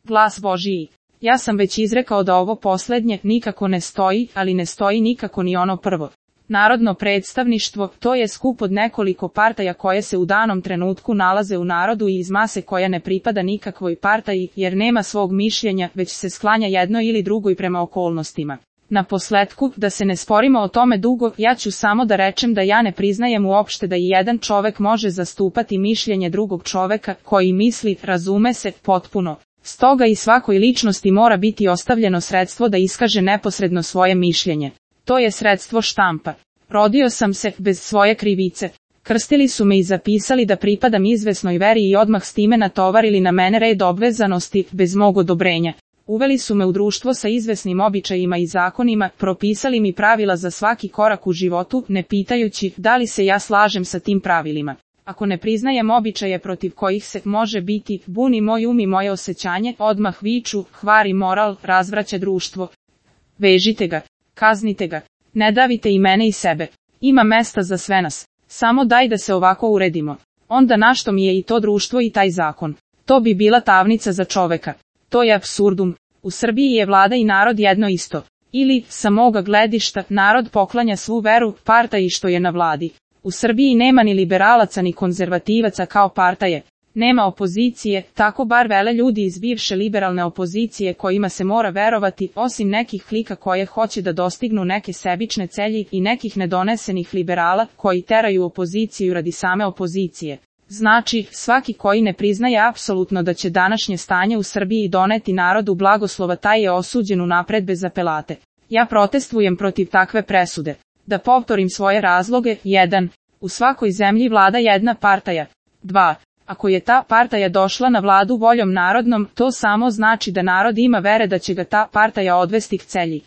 Glas Božiji. Ja sam već izrekao da ovo poslednje nikako ne stoji, ali ne stoji nikako ni ono prvo. Narodno predstavništvo, to je skup od nekoliko partaja koje se u danom trenutku nalaze u narodu i iz mase koja ne pripada nikakvoj partaji, jer nema svog mišljenja, već se sklanja jednoj ili drugoj prema okolnostima. Na posletku, da se ne sporimo o tome dugo, ja ću samo da rečem da ja ne priznajem uopšte da i jedan čovek može zastupati mišljenje drugog čoveka, koji misli, razume se, potpuno. Stoga i svakoj ličnosti mora biti ostavljeno sredstvo da iskaže neposredno svoje mišljenje. To je sredstvo štampa. Rodio sam se, bez svoje krivice. Krstili su me i zapisali da pripadam izvesnoj veri i odmah s time natovarili na mene red obvezanosti, bez mog odobrenja. Uveli su me u društvo sa izvesnim običajima i zakonima, propisali mi pravila za svaki korak u životu, ne pitajući da li se ja slažem sa tim pravilima. Ako ne priznajem običaje protiv kojih se može biti, buni moj um i moje osjećanje, odmah viču, kvari moral, razvraća društvo. Vežite ga, kaznite ga, ne davite i mene i sebe. Ima mesta za sve nas. Samo daj da se ovako uredimo. Onda našto mi je i to društvo i taj zakon. To bi bila tamnica za čoveka. To je apsurdum. U Srbiji je vlada i narod jedno isto. Ili, sa moga gledišta, narod poklanja svu veru partaji što je na vladi. U Srbiji nema ni liberalaca ni konzervativaca kao partaje. Nema opozicije, tako bar vele ljudi iz bivše liberalne opozicije kojima se mora verovati, osim nekih klika koje hoće da dostignu neke sebične celji i nekih nedonesenih liberala koji teraju opoziciju radi same opozicije. Znači, svaki koji ne priznaje apsolutno da će današnje stanje u Srbiji doneti narodu blagoslova, taj je osuđen unapred bez apelate. Ja protestujem protiv takve presude. Da povtorim svoje razloge. 1. U svakoj zemlji vlada jedna partaja. 2. Ako je ta partaja došla na vladu voljom narodnom, to samo znači da narod ima vere da će ga ta partaja odvesti k celji.